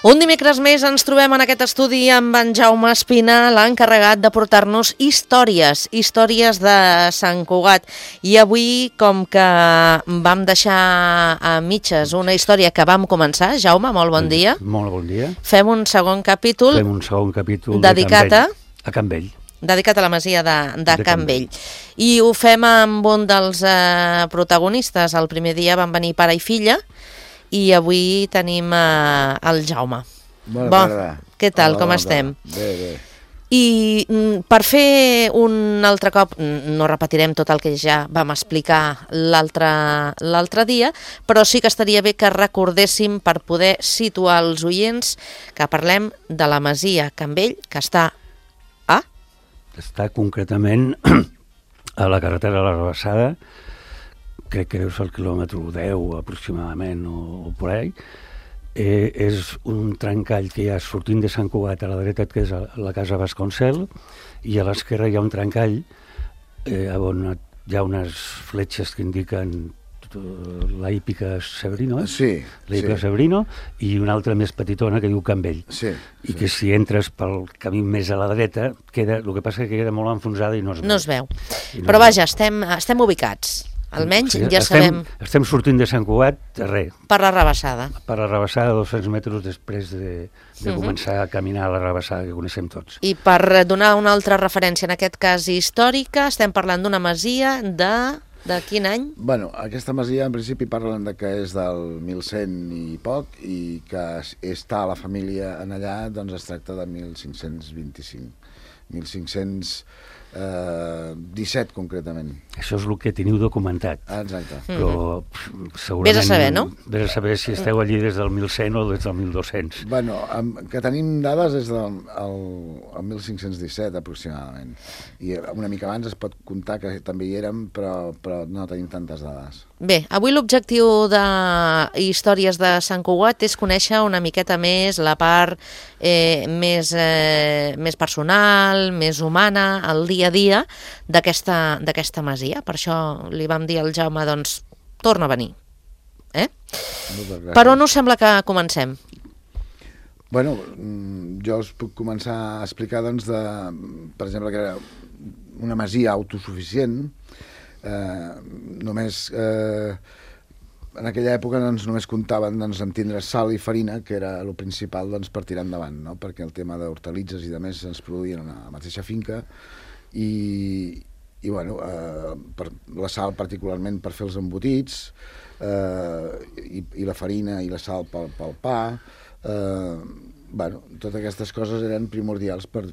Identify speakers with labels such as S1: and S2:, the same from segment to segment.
S1: Un dimecres més ens trobem en aquest estudi amb en Jaume Espina, l'encarregat de portar-nos històries de Sant Cugat. I avui, com que vam deixar a mitges una història que vam començar, Jaume, molt bon dia.
S2: Molt bon dia.
S1: Fem un segon capítol
S2: dedicat a Can Vell.
S1: Dedicat a la masia de Can Vell. I ho fem amb un dels protagonistes. El primer dia van venir pare i filla, i avui tenim el Jaume.
S3: Bona tarda.
S1: Què tal, com estem?
S3: Bé.
S1: I per fer un altre cop, no repetirem tot el que ja vam explicar l'altre dia, però sí que estaria bé que recordéssim, per poder situar els oients, que parlem de la masia Can Vell, que està a...
S2: Està concretament a la carretera de la Rabassada, crec que deu ser el quilòmetre 10 aproximadament o per ahí. És un trencall que hi ha sortint de Sant Cugat a la dreta, que és la casa Vasconcel, i a l'esquerra hi ha un trencall on hi ha unes fletxes que indiquen la hípica Severino,
S3: Sí.
S2: La hípica Severino, i una altra més petitona que diu Can Vell.
S3: Sí.
S2: Que si entres pel camí més a la dreta, el que passa que queda molt enfonsada i no es veu.
S1: No es veu. Però vaja, estem ubicats. Almenys ja sabem...
S2: Estem sortint de Sant Cugat,
S1: per la Rabassada.
S2: Per la Rabassada, 200 metres després de començar a caminar a la Rabassada, que coneixem tots.
S1: I per donar una altra referència, en aquest cas històrica, estem parlant d'una masia de quin any?
S3: Bueno, aquesta masia en principi parlen de que és del 1100 i poc, i que està la família en allà, doncs es tracta de 1525. 1517 concretament.
S2: Això és el que teniu documentat.
S3: Exacte.
S2: Però segurament...
S1: Vés a saber, no?
S2: Vés a saber si esteu allí des del 1100 o des del 1200.
S3: Bueno, que tenim dades des del 1517 aproximadament. I una mica abans es pot comptar que també hi érem, però no tenim tantes dades.
S1: Bé, avui l'objectiu de Històries de Sant Cugat és conèixer una miqueta més la part més personal, més humana, el dia a dia d'aquesta masia. Per això li vam dir al Jaume, doncs, torna a venir. Per on us sembla que comencem?
S3: Bueno, jo us puc començar a explicar, doncs, per exemple, que era una masia autosuficient. En aquella època només comptaven amb tindre sal i farina, que era el principal per tirar endavant, no? Perquè el tema d'hortalitzes i de més ens produïen a la mateixa finca, i bueno, la sal particularment per fer els embotits, i la farina i la sal pel pa. Bueno, totes aquestes coses eren primordials per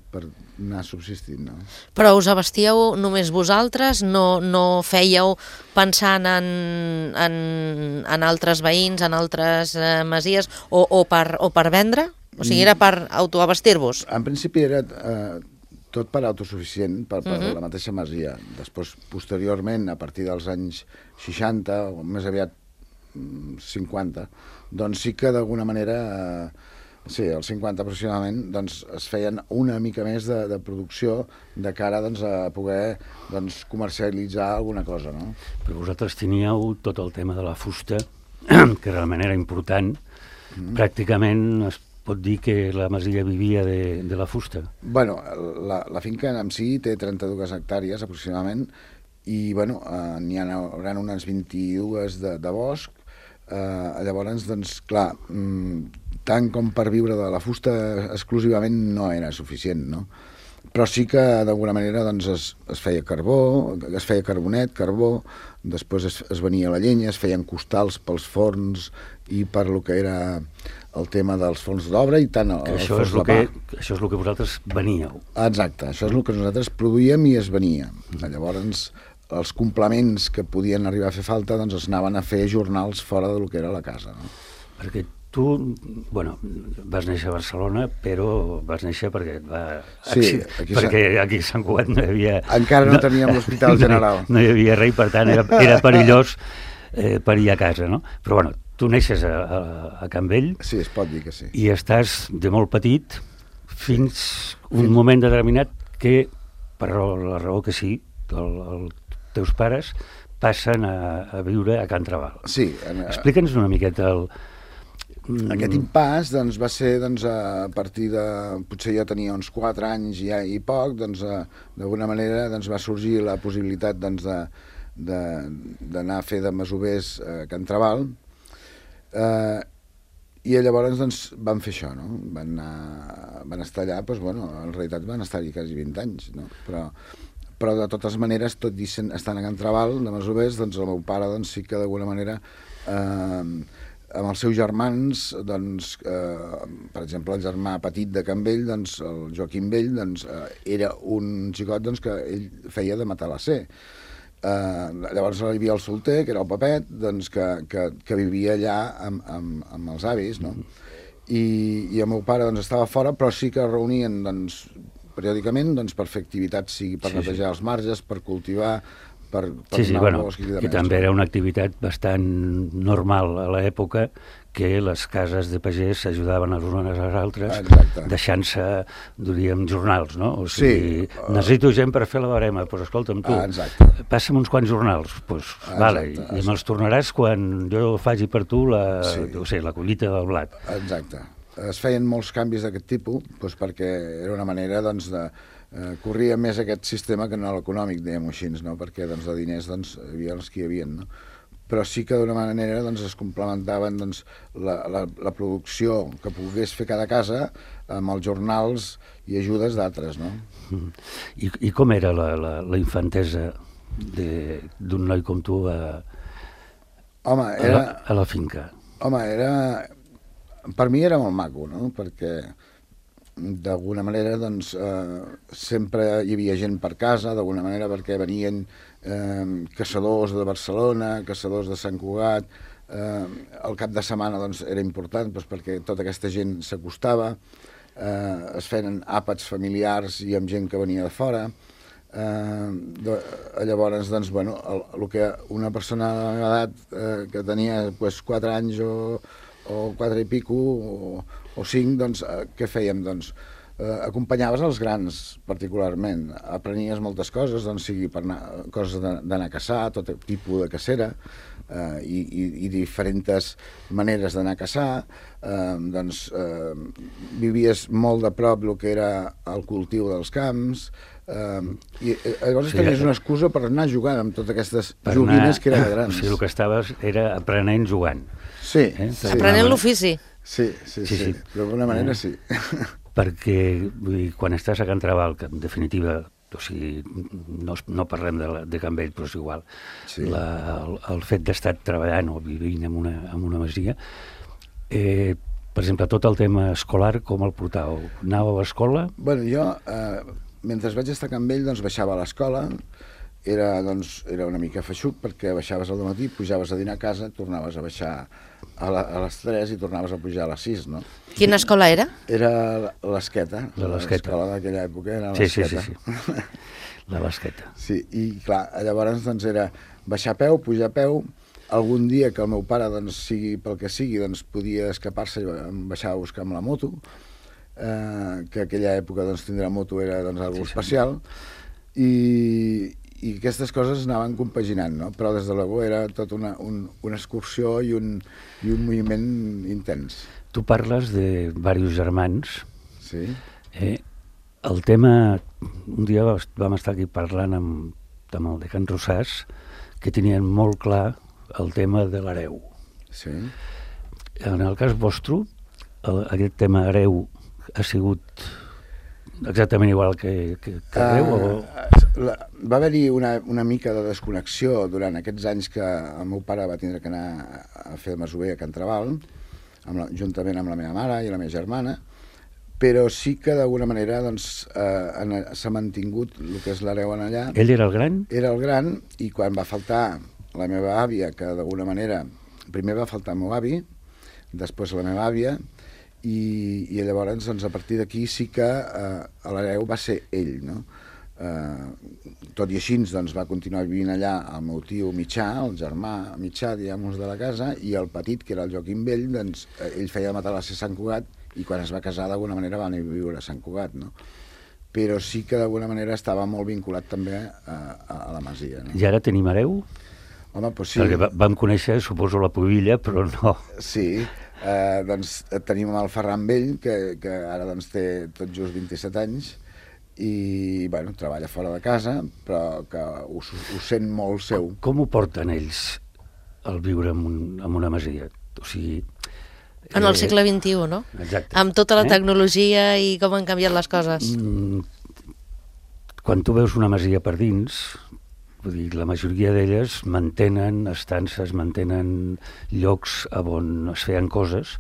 S3: anar subsistint, no?
S1: Però us abastíeu només vosaltres? No fèieu pensant en altres veïns, en altres masies, o per vendre? O sigui, era per autoabastir-vos?
S3: En principi era tot per autosuficient, per la mateixa masia. Després, posteriorment, a partir dels anys 60, o més aviat 50, doncs sí que d'alguna manera... Sí, als 50 aproximadament, doncs, es feien una mica més de producció de cara a poder comercialitzar alguna cosa, no?
S2: Però vosaltres teníeu tot el tema de la fusta, que realment era important. Pràcticament es pot dir que la masia vivia de la fusta.
S3: Bueno, la finca en si té 32 hectàrees aproximadament, i bueno, n'hi haurà unes 22 de bosc. Llavors, doncs, clar, tant com per viure de la fusta exclusivament no era suficient, no? Però sí que d'alguna manera es feia carbó, es feia carbonet, carbó, després es venia la llenya, es feien costals pels forns i per lo que era el tema dels forns d'obra i tant els forns de pa.
S2: Això és el que vosaltres veníeu.
S3: Exacte, això és el que nosaltres produïem i es venia. Llavors, els complements que podien arribar a fer falta es anaven a fer jornals fora del que era la casa, no?
S2: Perquè tu, bueno, vas néixer a Barcelona, però vas néixer perquè et va...
S3: Sí,
S2: perquè aquí a Sant Cugat no hi havia...
S3: Encara no teníem l'Hospital General.
S2: No hi havia res, per tant era perillós parir a casa, no? Però bueno, tu neixes a Can Vell...
S3: Sí, es pot dir que sí.
S2: I estàs de molt petit fins un moment determinat que, per la raó que sí, els teus pares passen a viure a Can Trabal.
S3: Sí.
S2: Explica'ns una miqueta
S3: Aquest impàs doncs, va ser doncs, a partir de... Potser jo tenia uns 4 anys i poc, doncs, d'alguna manera doncs, va sorgir la possibilitat doncs, d'anar a fer de masovers a Can Trabal, i llavors doncs, van fer això, no? Van estar allà, doncs, bueno, en realitat van estar-hi quasi 20 anys, no? Però de totes maneres, tot i estant a Can Trabal, de masovers, doncs el meu pare doncs, sí que d'alguna manera, amb els seus germans, doncs, per exemple, el germà petit de Can Vell, doncs, el Joaquim Vell, doncs, era un xicot doncs, que ell feia de matalasser. Llavors hi havia el solter, que era el Pepet, doncs, que vivia allà amb els avis, no? I el meu pare doncs, estava fora, però sí que es reunien doncs, periòdicament doncs, per fer activitats, sigui per netejar els marges, per cultivar, per anar al bosc i de
S2: que també era una activitat bastant normal a l'època, que les cases de pagès s'ajudaven les unes a les altres, deixant-se, diríem, jornals, no? O sigui, necessito gent per fer la barema, doncs escolta'm tu, passa'm uns quants jornals, doncs vale, i me'ls tornaràs quan jo faci per tu la collita del blat.
S3: Exacte. Es feien molts canvis d'aquest tipus, doncs perquè era una manera doncs, de... corria més aquest sistema que no l'econòmic, diguem-ho així, no? Perquè doncs, de diners doncs, hi havia els que hi havia, no? Però sí que d'una manera doncs, es complementaven doncs, la producció que pogués fer cada casa amb els jornals i ajudes d'altres, no?
S2: I com era la infantesa d'un noi com tu a la finca?
S3: Home, per mi era molt maco, no? Perquè d'alguna manera doncs, sempre hi havia gent per casa, d'alguna manera perquè venien caçadors de Barcelona, caçadors de Sant Cugat, el cap de setmana doncs, era important doncs, perquè tota aquesta gent s'acostava, es feien àpats familiars i amb gent que venia de fora. Llavors, doncs, bueno, el que una persona de la meva edat que tenia pues, 4 anys o 4 i pico o 5, doncs, què fèiem? Doncs, acompanyaves els grans, particularment. Aprenies moltes coses, doncs, sigui per coses d'anar a caçar, tot tipus de cacera, i diferents maneres d'anar a caçar. Doncs, vivies molt de prop el que era el cultiu dels camps, i llavors tenies una excusa per anar jugant amb totes aquestes joguines que eren grans.
S2: O sigui, el que estaves era aprenent jugant.
S3: Sí.
S1: Aprenent l'ofici.
S3: Sí. D'alguna manera sí.
S2: Perquè vull dir, quan estàs a Can Trabal, que en definitiva, o sigui, no parlem de Can Vell, però és igual, el fet d'estar treballant o vivint en una masia, per exemple, tot el tema escolar, com el portàveu? Anàveu a l'escola?
S3: Bueno, jo, mentre vaig estar a Can Vell, doncs baixava a l'escola, era una mica feixuc perquè baixaves al matí, pujaves a dinar a casa, tornaves a baixar a les 3 i tornaves a pujar a les 6, no?
S1: Quina escola era?
S3: Era l'Esqueta. L'escola d'aquella època era l'Esqueta.
S2: Sí. La Basqueta.
S3: Sí, i clar, llavors doncs era baixar a peu, pujar a peu, algun dia que el meu pare, doncs, sigui pel que sigui, doncs podia escapar-se i em baixava a buscar amb la moto, que aquella època doncs tindre moto era doncs algo especial, i aquestes coses anaven compaginant, no? Però des de l'ego era tot una excursió i un moviment intens.
S2: Tu parles de diversos germans.
S3: Sí.
S2: El tema, un dia vam estar aquí parlant amb el de Can Rosàs, que tenien molt clar el tema de l'hereu.
S3: Sí.
S2: En el cas vostre, aquest tema hereu ha sigut exactament igual que hereu?
S3: Va haver-hi una mica de desconnexió durant aquests anys que el meu pare va tindre que anar a fer masover a Can Trabal, juntament amb la meva mare i la meva germana, però sí que d'alguna manera doncs, s'ha mantingut el que és l'hereu en allà.
S2: Ell era el gran?
S3: Era el gran, i quan va faltar la meva àvia, que d'alguna manera primer va faltar el meu avi, després la meva àvia, i llavors doncs, a partir d'aquí sí que l'hereu va ser ell, no? Tot i així doncs, va continuar vivint allà el meu tio mitjà, el germà mitjà, diguem-nos, de la casa, i el petit, que era el Joaquim Vell, doncs, ell feia de matalasser a Sant Cugat, i quan es va casar d'alguna manera va anar a viure a Sant Cugat, no? Però sí que d'alguna manera estava molt vinculat també a la masia, no?
S2: I ara tenim hereu?
S3: Home, doncs sí.
S2: Perquè vam conèixer, suposo, la Pubilla, però no.
S3: Sí, Doncs tenim el Ferran Vell, que ara doncs, té tot just 27 anys, i bueno, treballa fora de casa, però que ho sent molt seu.
S2: Com ho porten ells el viure en una masia? O sigui...
S1: En el segle XXI, no?
S2: Exacte.
S1: Amb tota la tecnologia i com han canviat les coses.
S2: Quan tu veus una masia per dins, vull dir, la majoria d'elles mantenen estances, mantenen llocs on es feien coses,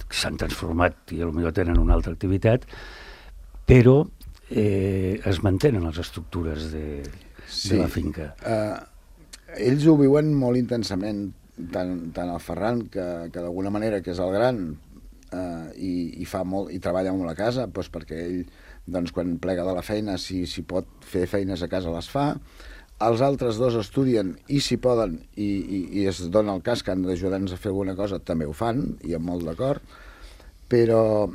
S2: que s'han transformat i potser tenen una altra activitat, però es mantenen les estructures de la finca.
S3: Ells ho viuen molt intensament, tant el Ferran, que d'alguna manera que és el gran i fa molt i treballa molt a casa, doncs perquè ell, doncs, quan plega de la feina, si pot fer feines a casa les fa. Els altres dos estudien i si poden i es dona el cas que han d'ajudar-nos a fer alguna cosa, també ho fan i amb molt d'acord, però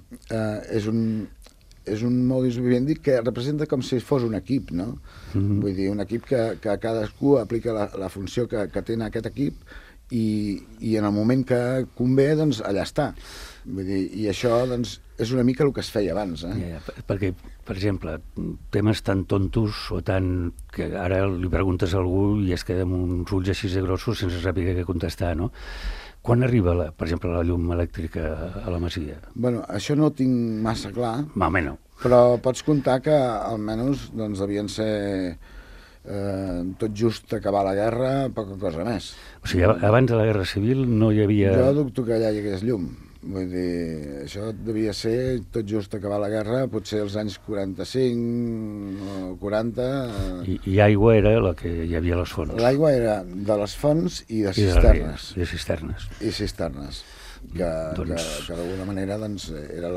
S3: és un modus vivendi que representa com si fos un equip, no? Vull dir, un equip que cadascú aplica la funció que té en aquest equip i en el moment que convé, doncs allà està. Vull dir, i això doncs, és una mica el que es feia abans.
S2: Perquè, per exemple, temes tan tontos o tan... que ara li preguntes a algú i es queda amb uns ulls així de grossos sense saber què contestar, no? Quan arriba, per exemple, la llum elèctrica a la masia?
S3: Bueno, això no ho tinc massa clar,
S2: no.
S3: Però pots comptar que almenys doncs, devien ser tot just acabar la guerra, poca cosa més.
S2: O sigui, abans de la Guerra Civil no hi havia...
S3: Jo dubto que allà hi hagués llum. Vull dir, això devia ser tot just acabar la guerra, potser als anys 45 o 40...
S2: I aigua era la que hi havia a les fonts.
S3: L'aigua era de les fonts i de cisternes.
S2: I de cisternes.
S3: I cisternes, que d'alguna manera doncs, era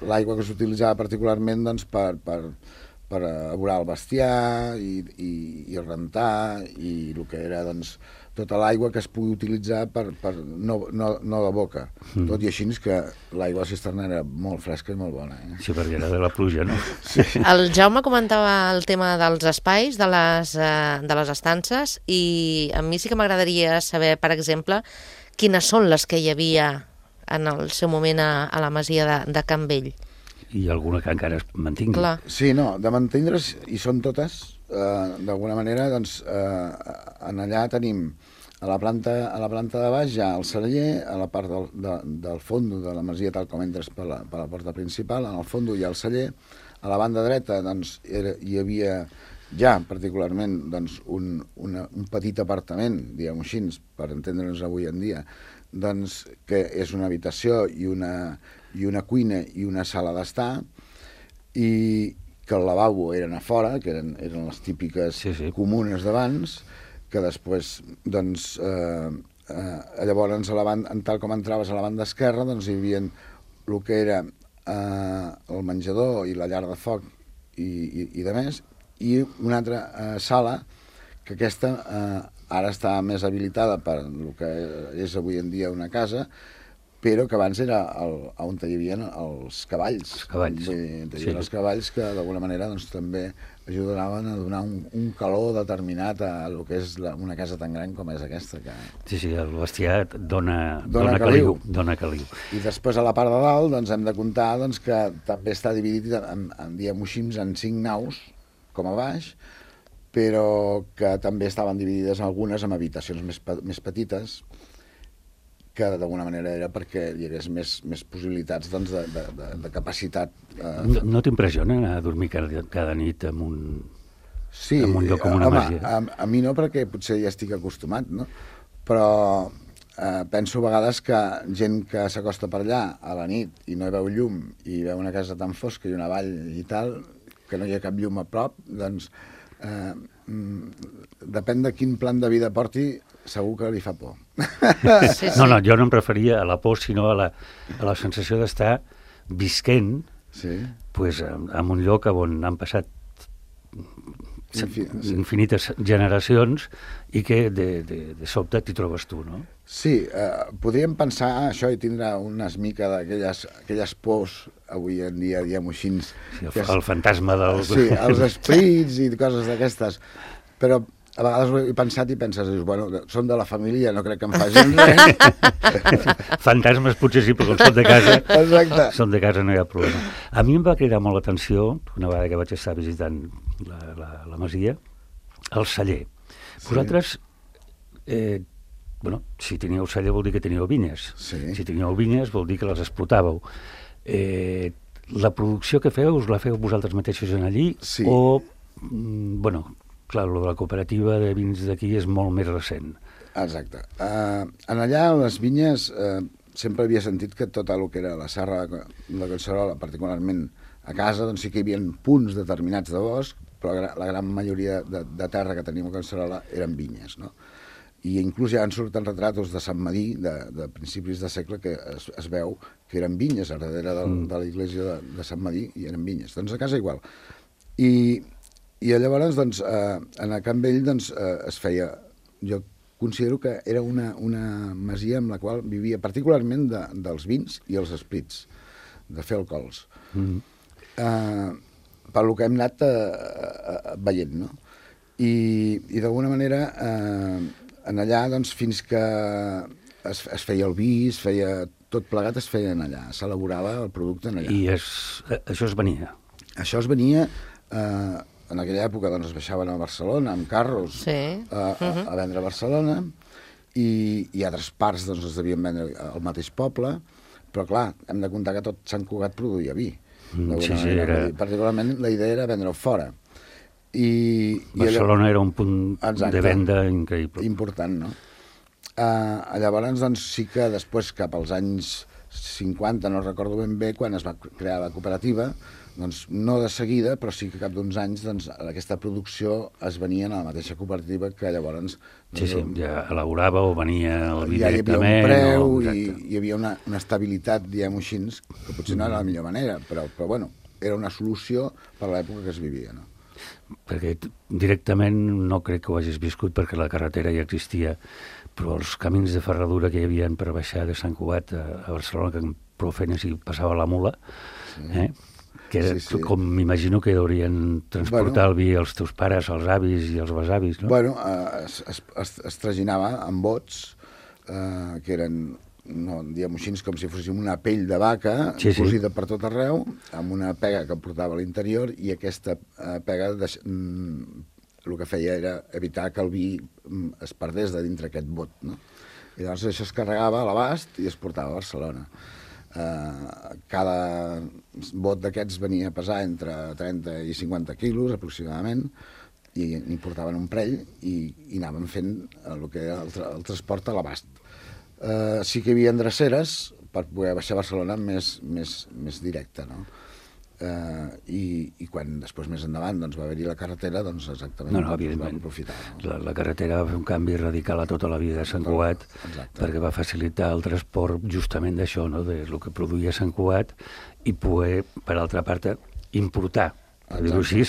S3: l'aigua que s'utilitzava particularment doncs, per aborar el bestiar i rentar i el que era doncs, tota l'aigua que es pugui utilitzar no de boca. Tot i així que l'aigua de cisterna era molt fresca i molt bona.
S2: Sí, perquè era de la pluja, no?
S1: Sí. El Jaume comentava el tema dels espais, de les estances, i a mi sí que m'agradaria saber, per exemple, quines són les que hi havia en el seu moment a la masia de Can Vell.
S2: I alguna que encara es mantingui.
S3: Clar. Sí, no, de mantindre's, i són totes, d'alguna manera, doncs, en allà tenim a la planta de baix ja el celler, a la part del fondo de la masia, tal com entres per la porta principal, en el fondo hi ha el celler, a la banda dreta doncs, hi havia ja particularment doncs, un petit apartament, diguem-ho així, per entendre'ns avui en dia, doncs, que és una habitació i una cuina i una sala d'estar, i que el lavabo eren a fora, que eren les típiques comunes d'abans, que després, doncs, llavors, tal com entraves a la banda esquerra, doncs hi havia el que era el menjador i la llar de foc i de més, i una altra sala, que aquesta ara està més habilitada per el que és avui en dia una casa, però que abans era on hi havia els cavalls.
S2: Els cavalls.
S3: Els cavalls que d'alguna manera doncs, també ajudaven a donar un calor determinat a el que és una casa tan gran com és aquesta.
S2: Sí, el bestiar dona caliu.
S3: I després a la part de dalt doncs, hem de comptar doncs, que també està dividit diguem-ho així, en 5 naus, com a baix, però que també estaven dividides algunes en habitacions més petites, que d'alguna manera era perquè hi hagués més possibilitats doncs, de capacitat.
S2: No t'impressiona anar a dormir cada nit en un lloc com una masia?
S3: A mi no, perquè potser ja estic acostumat, no? Però penso a vegades que gent que s'acosta per allà a la nit i no hi veu llum i veu una casa tan fosca i una vall i tal, que no hi ha cap llum a prop, doncs depèn de quin plan de vida porti, segur que li fa por.
S2: No, jo no em referia a la por, sinó a la sensació d'estar visquent en un lloc on han passat infinites generacions i que de sobte t'hi trobes tu, no?
S3: Sí, podríem pensar això i tindre una mica d'aquelles pors avui en dia, diguem-ho així.
S2: El fantasma del...
S3: Sí, els esprits i coses d'aquestes. Però a vegades ho he pensat i penses, dius, bueno, són de la família, no crec que em facin res.
S2: Fantasmes potser sí, però quan són de casa,
S3: Exacte.
S2: són de casa, no hi ha problema. A mi em va cridar molt l'atenció, una vegada que vaig estar visitant la masia, el celler.
S3: Sí.
S2: Vosaltres, bueno, si teníeu celler vol dir que teníeu vinyes.
S3: Sí.
S2: Si teníeu vinyes vol dir que les explotàveu. La producció que feu, us la feu vosaltres mateixos en allí?
S3: Sí.
S2: O, bueno, clar, lo de la cooperativa de vins d'aquí és molt més recent.
S3: Exacte. En allà, a les vinyes, sempre havia sentit que tot el que era la serra de Collserola, particularment a casa, doncs sí que hi havia punts determinats de bosc, però la gran majoria de terra que teníem a Collserola eren vinyes, no? I inclús ja en surten retratos de Sant Madí, de principis de segle, que es veu que eren vinyes, a darrere de la iglesia de Sant Madí, i eren vinyes. Doncs a casa igual. I llavors, doncs, en el Camp Vell, doncs, es feia... Jo considero que era una masia amb la qual vivia particularment dels vins i els esprits, de fer alcohols. Per lo que hem anat veient, no? I d'alguna manera... en allà, doncs, fins que es feia el vi, es feia tot plegat, es feia allà, s'elaborava el producte allà.
S2: I això es venia?
S3: Això es venia, en aquella època doncs, es baixaven a Barcelona amb carros a vendre a Barcelona, i altres parts doncs, es devien vendre al mateix poble, però clar, hem de comptar que tot Sant Cugat produïa vi.
S2: Sí,
S3: particularment la idea era vendre-ho fora.
S2: Barcelona era un punt de venda increïble.
S3: Important, no? Llavors, doncs, sí que després, cap als anys 50, no recordo ben bé, quan es va crear la cooperativa, doncs no de seguida, però sí que cap d'uns anys doncs, aquesta producció es venia a la mateixa cooperativa que llavors...
S2: Sí, ja elaborava o venia el vi
S3: ja
S2: directament.
S3: Hi havia un preu i hi havia una estabilitat, diguem-ho així, que potser no era la millor manera, però bueno, era una solució per a l'època que es vivia, no?
S2: Perquè directament no crec que ho hagis viscut perquè la carretera ja existia, però els camins de ferradura que hi havia per baixar de Sant Cugat a Barcelona, que prou feines hi passava la mula, que era, com m'imagino que haurien transportar el vi als teus pares, als avis i als besavis, no?
S3: Bueno, es traginava amb bots, que eren, no, diguem-ho així, com si fóssim una pell de vaca, cosida per tot arreu, amb una pega que portava a l'interior, i aquesta pega el que feia era evitar que el vi es perdés de dintre aquest bot, no? I llavors això es carregava a l'abast i es portava a Barcelona. Cada bot d'aquests venia a pesar entre 30 i 50 quilos, aproximadament, i n'hi portaven un parell i anaven fent el que era el transport a l'abast. Sí que hi havia dreceres per poder baixar a Barcelona més directe, no? I quan després més endavant doncs, va haver-hi la carretera, doncs exactament
S2: evidentment.
S3: Vam aprofitar.
S2: La carretera va fer un canvi radical a tota la vida de Sant Cugat, perquè va facilitar el transport justament d'això, no? De lo que produïa Sant Cugat, i poder, per altra part, importar, per dir-ho així,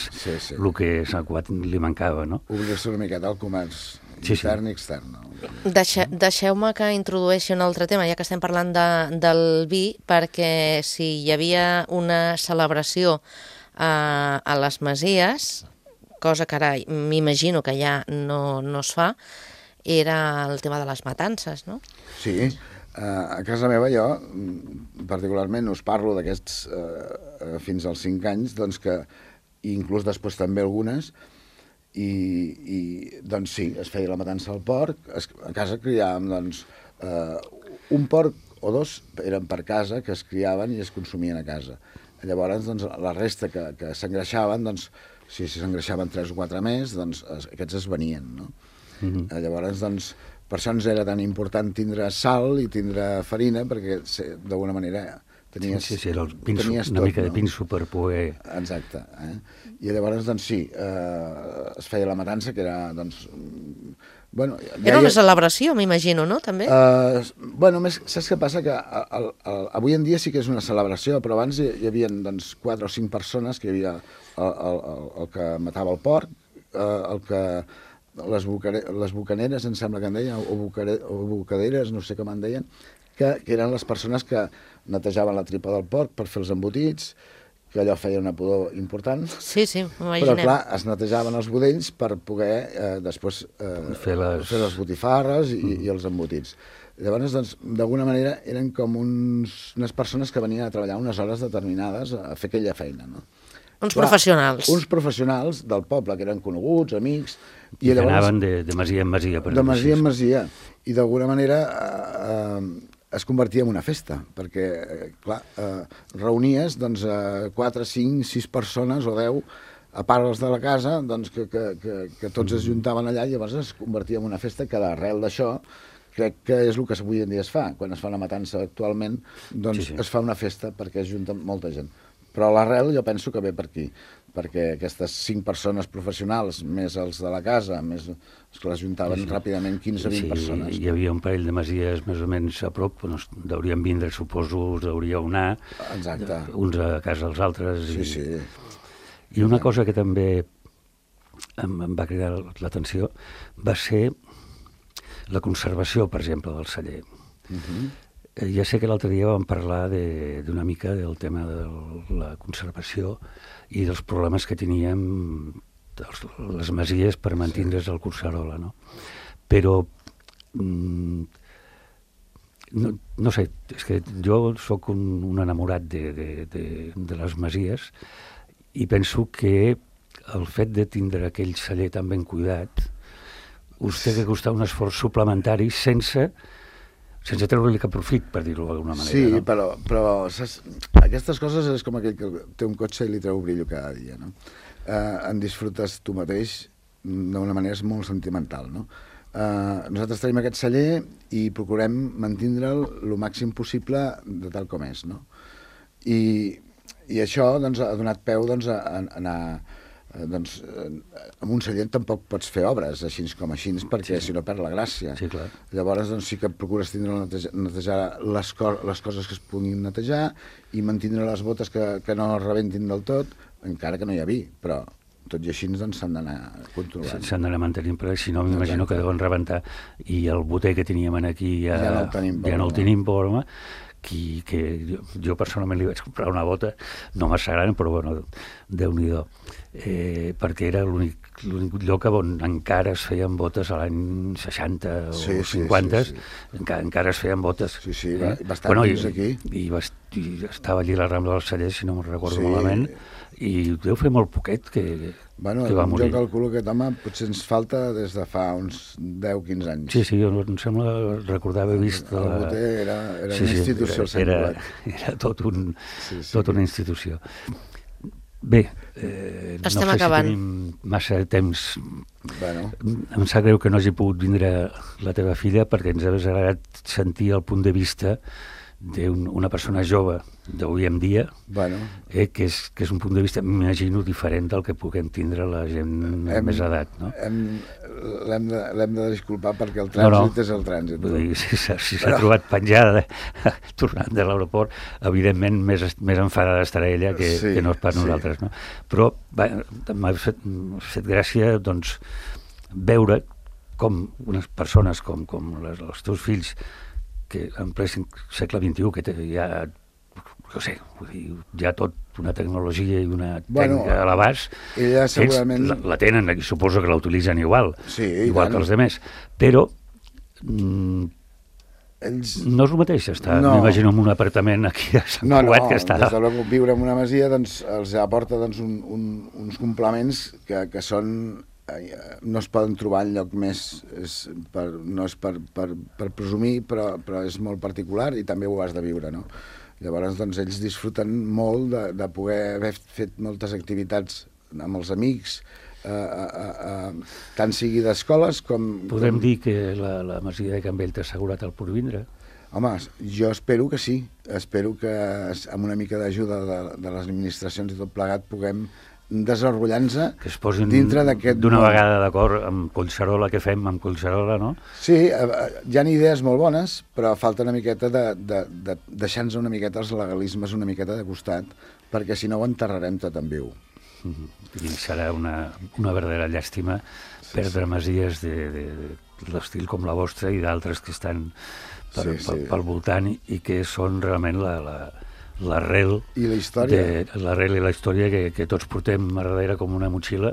S2: el que a Sant Cugat li mancava, no?
S3: Obrir-se una miqueta al comerç intern i extern.
S1: Deixeu-me que introdueixi un altre tema, ja que estem parlant del vi, perquè si hi havia una celebració a les Masies, cosa que ara m'imagino que ja no es fa, era el tema de les matances, no?
S3: Sí, a casa meva jo, particularment, us parlo d'aquests fins als 5 anys, doncs que, inclús després també algunes, i doncs sí, es feia la matança al porc, a casa criàvem doncs, un porc o dos eren per casa, que es criaven i es consumien a casa. Llavors, doncs, la resta que s'engreixaven, doncs, si s'engreixaven 3 o 4 més, doncs aquests es venien, no? Llavors, doncs, per això ens era tan important tindre sal i tindre farina, perquè d'alguna manera tenies
S2: era una mica de pinso per poder...
S3: Exacte. I llavors, doncs sí, es feia la matança, que era, doncs... Bueno,
S1: era una celebració, m'imagino, no?, també?
S3: Bueno, saps què passa? Que avui en dia sí que és una celebració, però abans hi havia, doncs, 4 o 5 persones, que hi havia el que matava el porc, el que... les bucaneres, em sembla que en deien, o bucaderes, no sé com en deien, que eren les persones que netejaven la tripa del porc per fer els embotits, que allò feia una pudor important.
S1: Sí,
S3: Però,
S1: m'imaginem.
S3: clar, es netejaven els budells per poder després
S2: fer
S3: les botifarres i els embotits. Llavors, doncs, d'alguna manera, eren com unes persones que venien a treballar unes hores determinades a fer aquella feina, no?
S1: Uns professionals.
S3: Uns professionals del poble, que eren coneguts, amics...
S2: I que anaven de masia en masia.
S3: De masia en masia. I d'alguna manera es convertia en una festa, perquè, clar, reunies doncs, 4, 5, 6 persones o 10 a part els de la casa, doncs, que tots es juntaven allà, i llavors es convertia en una festa que d'arrel d'això crec que és el que avui en dia es fa. Quan es fa una matança actualment, doncs es fa una festa perquè es junta molta gent. Però l'arrel jo penso que ve per aquí, perquè aquestes 5 persones professionals, més els de la casa, més els que les juntaven ràpidament 15 o 20 persones.
S2: Hi havia un parell de masies més o menys a prop, on deurien vindre, suposo, us deuríeu anar, uns a casa dels altres.
S3: Sí.
S2: I una cosa que també em va cridar l'atenció va ser la conservació, per exemple, del celler. Ja sé que l'altre dia vam parlar d'una mica del tema de la conservació i dels problemes que teníem les masies per mantindre's al Collserola, no? Però no sé, és que jo sóc un enamorat de les masies i penso que el fet de tindre aquell celler tan ben cuidat us té que costar un esforç suplementari sense treure-li cap profit, per dir-ho d'alguna manera.
S3: Sí,
S2: no?
S3: però saps, aquestes coses és com aquell que té un cotxe i li treu brillo cada dia, no? En disfrutes tu mateix d'una manera molt sentimental, no? Nosaltres tenim aquest celler i procurem mantindre'l el màxim possible de tal com és, no? I això doncs, ha donat peu doncs, a anar... Doncs, amb un celler tampoc pots fer obres així com així, perquè si no perd la gràcia.
S2: Sí, clar.
S3: Llavors doncs, sí que procures netejar les coses que es puguin netejar i mantindre les botes que no es rebentin del tot, encara que no hi ha vi, però tot i així doncs, s'han d'anar controlant.
S2: S'han d'anar mantenint, però si no m'imagino que deuen rebentar, i el boter que teníem aquí ja no el tenim, pobre home, que jo personalment li vaig comprar una bota, no massa gran, però bueno, Déu-n'hi-do, perquè era l'únic lloc on encara es feien botes a l'any 60 o 50, encara es feien botes.
S3: Sí, bastant fins aquí.
S2: I estava allí a la Rambla del Celler, si no me'n recordo malament, i deu fer molt poquet que va morir.
S3: Jo calculo que home potser ens falta des de fa uns 10-15 anys.
S2: Sí, em sembla recordar haver vist...
S3: El boter era una institució.
S2: Era tot una institució. Bé, no sé
S1: acabant.
S2: si tenim massa temps. Em sap greu que no hagi pogut vindre la teva filla perquè ens hagués agradat sentir el punt de vista d'una persona jove d'avui en dia, que és un punt de vista, m'imagino, diferent del que puguem tindre la gent més edat, no?
S3: L'hem de disculpar perquè el trànsit és el trànsit.
S2: Vull dir, si s'ha trobat penjada tornant de l'aeroport, evidentment més enfadada estarà ella que no és per nosaltres, no? Però m'ha fet gràcia doncs veure com unes persones com els teus fills, que en ple segle XXI, que ja, no sé, hi ha tot una tecnologia i una tècnica a l'abast, la tenen, i suposo que la utilitzen igual que els altres, però no és el mateix estar, m'imagino, en un apartament aquí a Sant Cugat que està...
S3: No, des de l'hora viure en una masia els aporta uns complements que són... no es poden trobar enlloc més, no és per presumir, però és molt particular i també ho has de viure, no? Llavors, doncs, ells disfruten molt de poder haver fet moltes activitats amb els amics, tant sigui d'escoles com...
S2: Podem dir que la masia de Can Vell t'ha assegurat el porvindre?
S3: Home, jo espero que sí. Espero que amb una mica d'ajuda de les administracions i tot plegat puguem desenrotllant-se
S2: que es posin
S3: dintre d'aquest...
S2: d'una vegada d'acord amb Collserola, que fem amb Collserola, no?
S3: Sí, hi ha idees molt bones, però falta una miqueta de deixar-nos una miqueta els legalismes una miqueta de costat, perquè si no ho enterrarem tot en viu.
S2: I serà una verdadera llàstima perdre masies de l'estil com la vostra i d'altres que estan pel voltant i que són realment l'arrel
S3: I la història.
S2: l'arrel i la història que tots portem a darrere com una motxilla,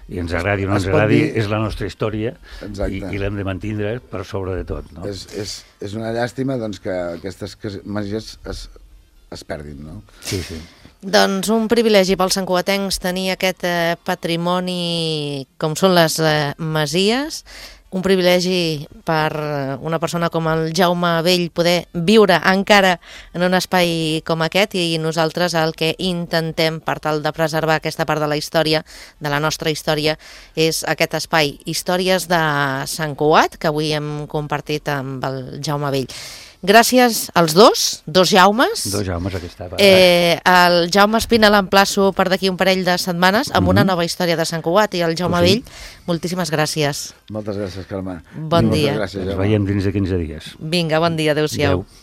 S2: i ens agradi o no
S3: Es
S2: ens
S3: pot
S2: agradi,
S3: dir-
S2: és la nostra història
S3: Exacte.
S2: i l'hem de mantindre per sobre de tot. No?
S3: És una llàstima doncs, que aquestes masies es perdin, no?
S2: Sí, sí.
S1: Doncs un privilegi pels santcugatencs tenir aquest patrimoni com són les masies, un privilegi per una persona com el Jaume Vell poder viure encara en un espai com aquest, i nosaltres el que intentem per tal de preservar aquesta part de la història, de la nostra història, és aquest espai, Històries de Sant Cugat, que avui hem compartit amb el Jaume Vell. Gràcies als dos Jaumes.
S2: Dos Jaumes aquesta vegada.
S1: El Jaume Espina l'emplaço per d'aquí un parell de setmanes amb una nova història de Sant Cugat, i el Jaume Vell, moltíssimes gràcies.
S3: Moltes gràcies, Carme.
S1: Bon dia.
S3: Gràcies,
S2: Ens
S3: Jaume.
S2: veiem dins de 15 dies.
S1: Vinga, bon dia, adéu-siau.
S2: Adéu.